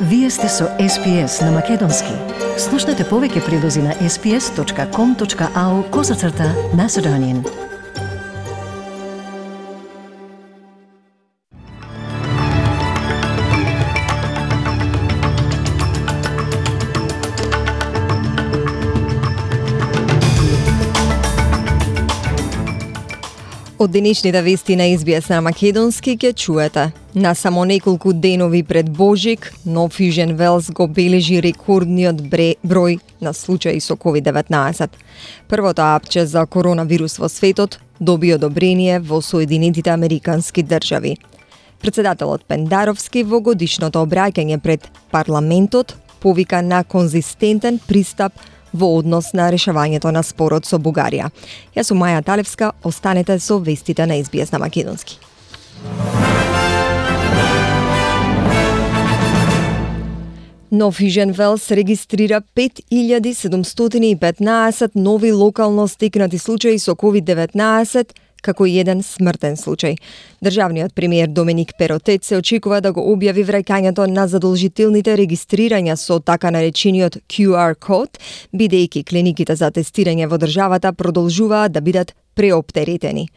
Вие сте со SPS на Македонски. Слушнете повеќе прилози на sps.com.au/Macedonian. Од денешните вести на SBS на Македонски ќе чуете. На само неколку денови пред Божик, Нов Южен Велс го бележи рекордниот број на случаи со COVID-19. Првото апче за коронавирус во светот доби одобрение во Соединетите Американски држави. Председателот Пендаровски во годишното обраќање пред парламентот повика на конзистентен пристап во однос на решавањето на спорот со Бугарија. Јас сум Маја Талевска, останете со вестите на SBS на Македонски. Нов Южен Велс регистрира 5715 нови локално стекнати случаи со COVID-19, како и еден смртен случај. Државниот премиер Доминик Перотет се очекува да го објави враќањето на задолжителните регистрирања со така наречениот QR код, бидејќи клиниките за тестирање во државата продолжуваат да бидат преоптеретени.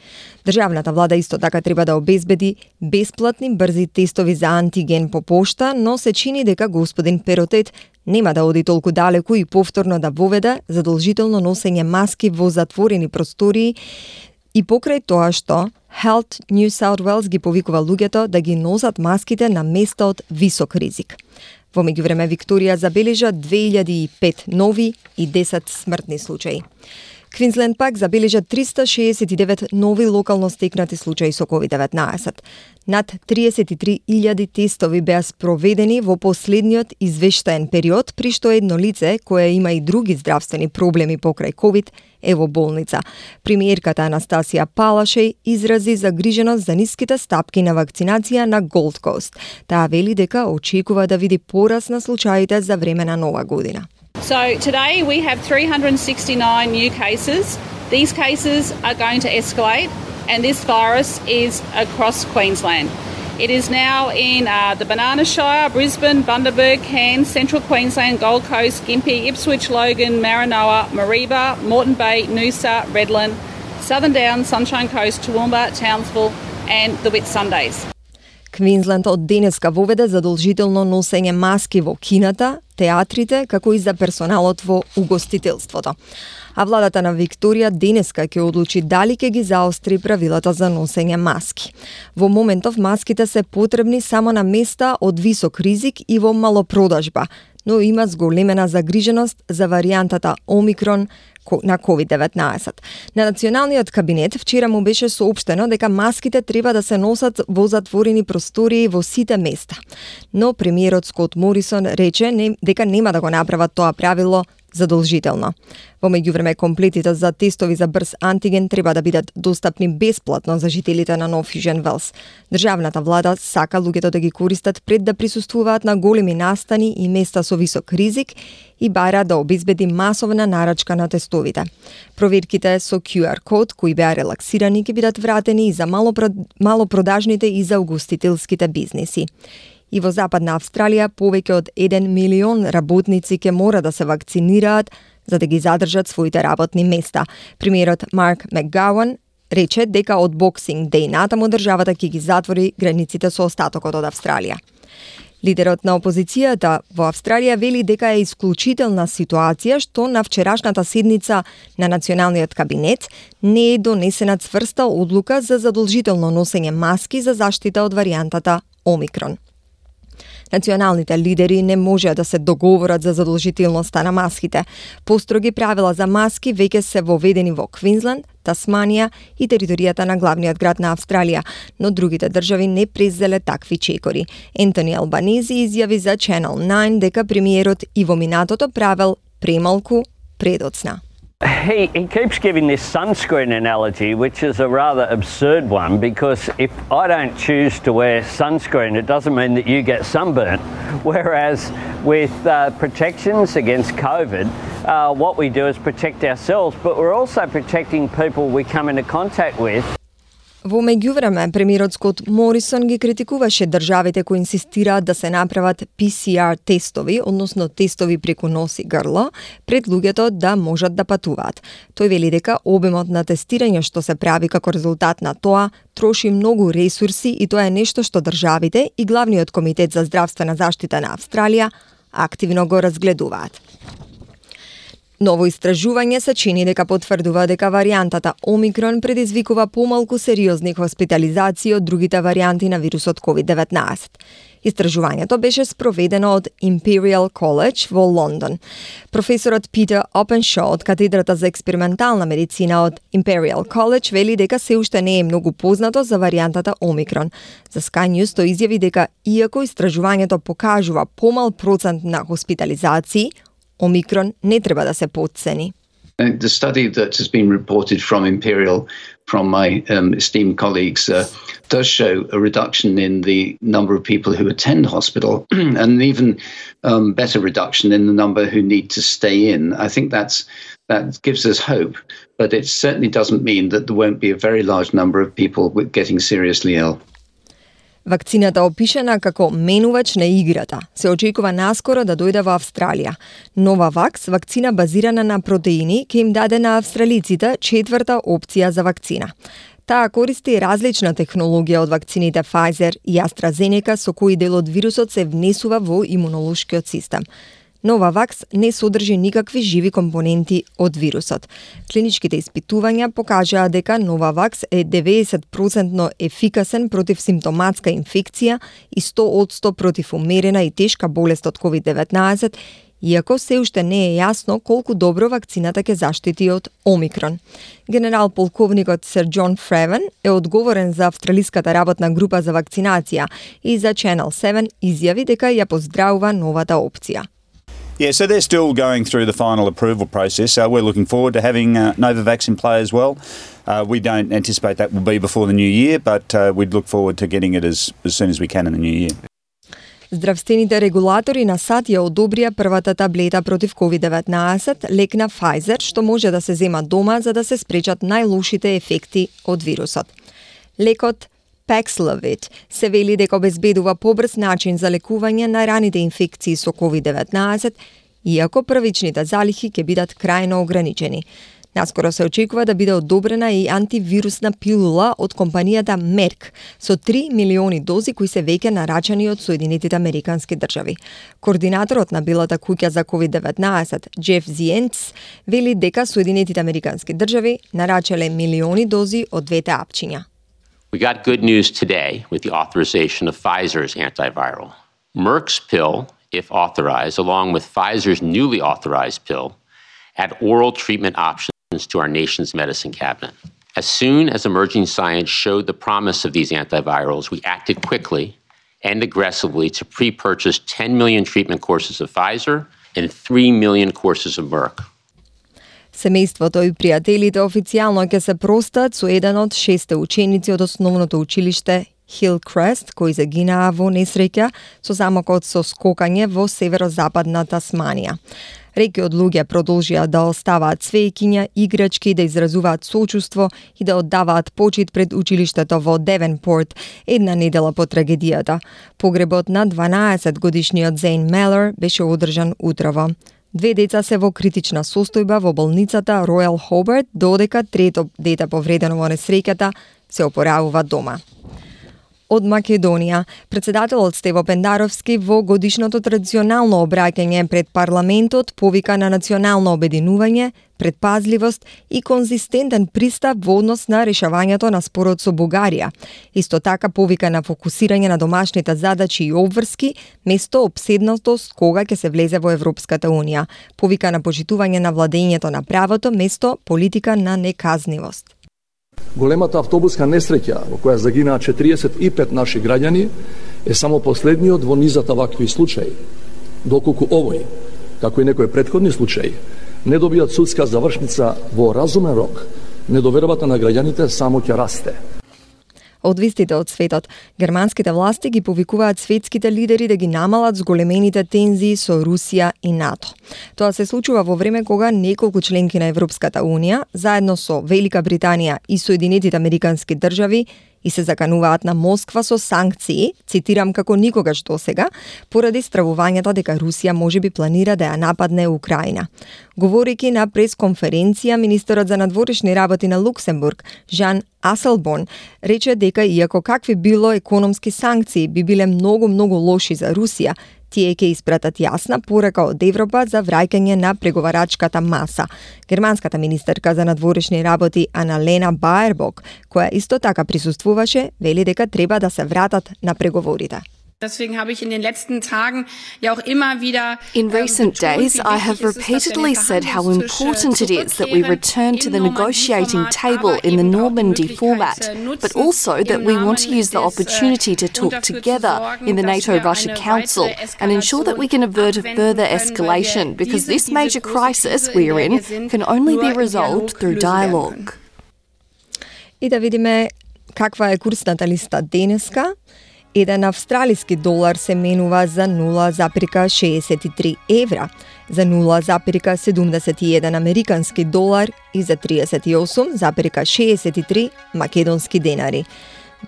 Државната влада исто така треба да обезбеди бесплатни брзи тестови за антиген по пошта, но се чини дека господин Перотет нема да оди толку далеку и повторно да воведе задолжително носење маски во затворени простории и покрај тоа што Health New South Wales ги повикува луѓето да ги носат маските на места од висок ризик. Во меѓувреме Викторија забележа 2005 нови и 10 смртни случаи. Квинсленд пак забележа 369 нови локално стекнати случаи со COVID-19. Над 33.000 тестови беа спроведени во последниот извештаен период, при што едно лице, кое има и други здравствени проблеми покрај COVID, е во болница. Премиерката Анастасија Палашеј изрази загриженост за ниските стапки на вакцинација на Gold Coast. Таа вели дека очекува да види пораст на случаите за време на Нова година. So today we have 369 new cases. These cases are going to escalate and this virus is across Queensland. It is now in the Banana Shire, Brisbane, Bundaberg, Cairns, Central Queensland, Gold Coast, Gympie, Ipswich, Logan, Maranoa, Mareeba, Moreton Bay, Noosa, Redland, Southern Downs, Sunshine Coast, Toowoomba, Townsville and the Whitsundays. Квинсленд од денеска воведе задолжително носење маски во кината, театрите, како и за персоналот во угостителството. А владата на Викторија денеска ќе одлучи дали ќе ги заостри правилата за носење маски. Во моментов маските се потребни само на места од висок ризик и во малопродажба, но има зголемена загриженост за варијантата Омикрон на COVID-19. На Националниот кабинет вчера му беше соопштено дека маските треба да се носат во затворени простории во сите места. Но премиерот Скот Морисон рече дека нема да го направат тоа правило задолжително. Во меѓувреме комплетите за тестови за брз антиген треба да бидат достапни бесплатно за жителите на Нов Южен Велс. Државната влада сака луѓето да ги користат пред да присуствуваат на големи настани и места со висок ризик и бара да обезбеди масовна нарачка на тестовите. Проверките со QR код кои беа релаксирани ќе бидат вратени и за малопродажните и за угостителските бизнеси. И во Западна Австралија повеќе од 1 милион работници ќе мора да се вакцинираат за да ги задржат своите работни места. Премиерот Марк Макгауан рече дека од Боксинг Деј натаму државата ќе ги затвори границите со остатокот од Австралија. Лидерот на опозицијата во Австралија вели дека е исклучителна ситуација што на вчерашната седница на Националниот кабинет не е донесена цврста одлука за задолжително носење маски за заштита од варијантата Омикрон. Националните лидери не може да се договорат за задолжителноста на маските. Построги правила за маски веќе се воведени во Квинсленд, Тасманија и територијата на главниот град на Австралија, но другите држави не презеле такви чекори. Ентони Албанези изјави за Channel 9 дека премиерот и во минатото правел премалку предоцна. He keeps giving this sunscreen analogy, which is a rather absurd one, because if I don't choose to wear sunscreen, it doesn't mean that you get sunburnt. Whereas with protections against COVID, what we do is protect ourselves, but we're also protecting people we come into contact with. Во меѓувреме, премиерот Скот Морисон ги критикуваше државите кои инсистираат да се направат PCR тестови, односно тестови преку нос и грло, пред луѓето да можат да патуваат. Тој вели дека обемот на тестирање што се прави како резултат на тоа троши многу ресурси и тоа е нешто што државите и главниот комитет за здравствена заштита на Австралија активно го разгледуваат. Ново истражување се чини дека потврдува дека варијантата Омикрон предизвикува помалку сериозни хоспитализации од другите варијанти на вирусот COVID-19. Истражувањето беше спроведено од Imperial College во Лондон. Професорот Питер Опеншо од катедрата за експериментална медицина од Imperial College вели дека се уште не е многу познато за варијантата Омикрон. За Sky News тој изјави дека иако истражувањето покажува помал процент на хоспитализации, Омикрон не треба да се потцени. The study that has been reported from Imperial, from my esteemed colleagues, does show a reduction in the number of people who attend hospital and an even better reduction in the number who need to stay in. I think that gives us hope, but it certainly doesn't mean that there won't be a very large number of people getting seriously ill. Вакцината опишана како менувач на играта се очекува наскоро да дојде во Австралија. Новавакс, вакцина базирана на протеини, ќе им даде на австралиците четврта опција за вакцина. Таа користи различна технологија од вакцините Pfizer и AstraZeneca со кои дел од вирусот се внесува во имунолошкиот систем. Новавакс не содржи никакви живи компоненти од вирусот. Клиничките испитувања покажаа дека Новавакс е 90% ефикасен против симптоматска инфекција и 100% против умерена и тешка болест од COVID-19, иако се уште не е јасно колку добро вакцината ќе заштити од Омикрон. Генерал полковникот Сер Џон Фревен е одговорен за австралиската работна група за вакцинација и за Channel 7 изјави дека ја поздравува новата опција. Yeah, so they're still going through the final approval process. We're looking forward to having Novavax in play as well. We don't anticipate that will be before the new year, but we'd look forward to getting it as soon as we can in the new year. Здравствените регулатори на САД ја одобрија првата таблета против COVID-19, лек на Pfizer, што може да се зема дома за да се спречат најлошите ефекти од вирусот. Лекот Paxlovid се вели дека обезбедува побрз начин за лекување на раните инфекции со COVID-19, иако првичните залихи ќе бидат крајно ограничени. Наскоро се очекува да биде одобрена и антивирусна пилула од компанијата Merck со 3 милиони дози кои се веќе нарачани од Соединетите Американски држави. Координаторот на Белата куќа за COVID-19, Джеф Зиенц, вели дека Соединетите Американски држави нарачале милиони дози од двете апчиња. We got good news today with the authorization of Pfizer's antiviral. Merck's pill, if authorized, along with Pfizer's newly authorized pill, add oral treatment options to our nation's medicine cabinet. As soon as emerging science showed the promise of these antivirals, we acted quickly and aggressively to pre-purchase 10 million treatment courses of Pfizer and 3 million courses of Merck. Семејството и пријателите официјално ќе се простат со еден од 6 ученици од основното училиште Hillcrest, кои загинаа во несреќа со замокот со скокање во северозападна Тасманија. Реки од луѓе продолжија да оставаат цвејкиња, играчки, да изразуваат сочувство и да оддаваат почит пред училиштето во Девенпорт една недела по трагедијата. Погребот на 12-годишниот Зейн Мелер беше одржан утрово. Две деца се во критична состојба во болницата Ројал Хобарт, додека трето дете повредено во несреќата се опоравува дома. Од Македонија, председателот Стево Пендаровски во годишното традиционално обраќање пред парламентот повика на национално обединување, предпазливост и конзистентен пристап во однос на решавањето на спорот со Бугарија. Исто така повика на фокусирање на домашните задачи и обврски, место обседнатост кога ќе се влезе во Европската Унија. Повика на почитување на владењето на правото, место политика на неказнивост. Големата автобуска несреќа во која загинаа 45 наши граѓани е само последниот во низата вакви случаи. Доколку овој, како и некои претходни случаи, не добијат судска завршница во разумен рок, недовербата на граѓаните само ќе расте. Од вистите од светот, германските власти ги повикуваат светските лидери да ги намалат зголемените тензии со Русија и НАТО. Тоа се случува во време кога неколку членки на Европската Унија, заедно со Велика Британија и Соединетите Американски држави, и се закануваат на Москва со санкции, цитирам, како никогаш досега, поради стравувањата дека Русија можеби планира да ја нападне Украина. Говорејќи на пресконференција, министерот за надворешни работи на Луксембург, Жан Аселборн, рече дека иако какви било економски санкции би биле многу лоши за Русија, тие ќе испратат јасна порака од Европа за враќање на преговарачката маса. Германската министерка за надворешни работи Аналена Баербок, која исто така присуствуваше, вели дека треба да се вратат на преговорите. Deswegen habe ich in den letzten Tagen ja auch immer wieder In recent days, I have repeatedly said how important it is that we return to the negotiating table in the Normandy format, but also that we want to use the opportunity to talk together in the NATO-Russia Council and ensure that we can avert a further escalation, because this major crisis we are in can only be resolved through dialogue. И да видиме каква е курсната листа денеска. Еден австралиски долар се менува за 0,63 евра, за 0,71 американски долар и за 38,63 македонски денари.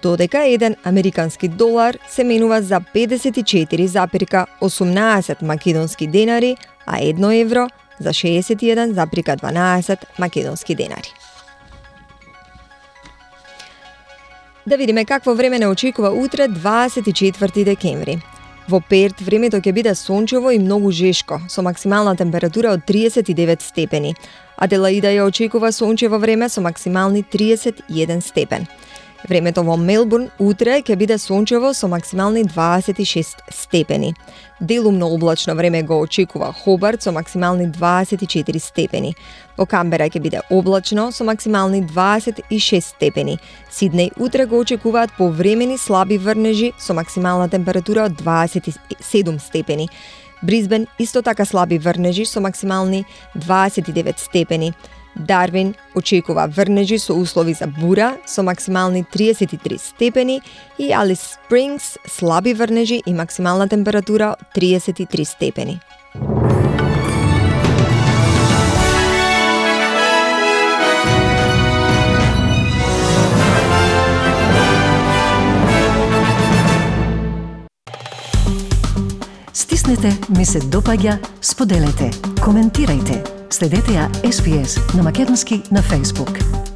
Додека еден американски долар се менува за 54,18 македонски денари, а 1 евро за 61,12 македонски денари. Да видиме какво време не очекува утре, 24 декември. Во Перт времето ќе биде сончево и многу жешко, со максимална температура од 39 степени. Аделаида ја очекува сончево време со максимални 31 степен. Времето во Мелбурн утре ќе биде сончево со максимални 26 степени. Делумно облачно време го очекува Хобарт со максимални 24 степени. Во Камбера ќе биде облачно со максимални 26 степени. Сиднеј утре го очекуваат повремени слаби врнежи со максимална температура од 27 степени. Бризбен исто така слаби врнежи со максимални 29 степени. Дарвин очекува врнежи со услови за бура со максимални 33 степени и Алис Спрингс слаби врнежи и максимална температура 33 степени. Стиснете, ми се допаѓа, споделете, коментирајте. Следете ја SPS на Македонски на Facebook.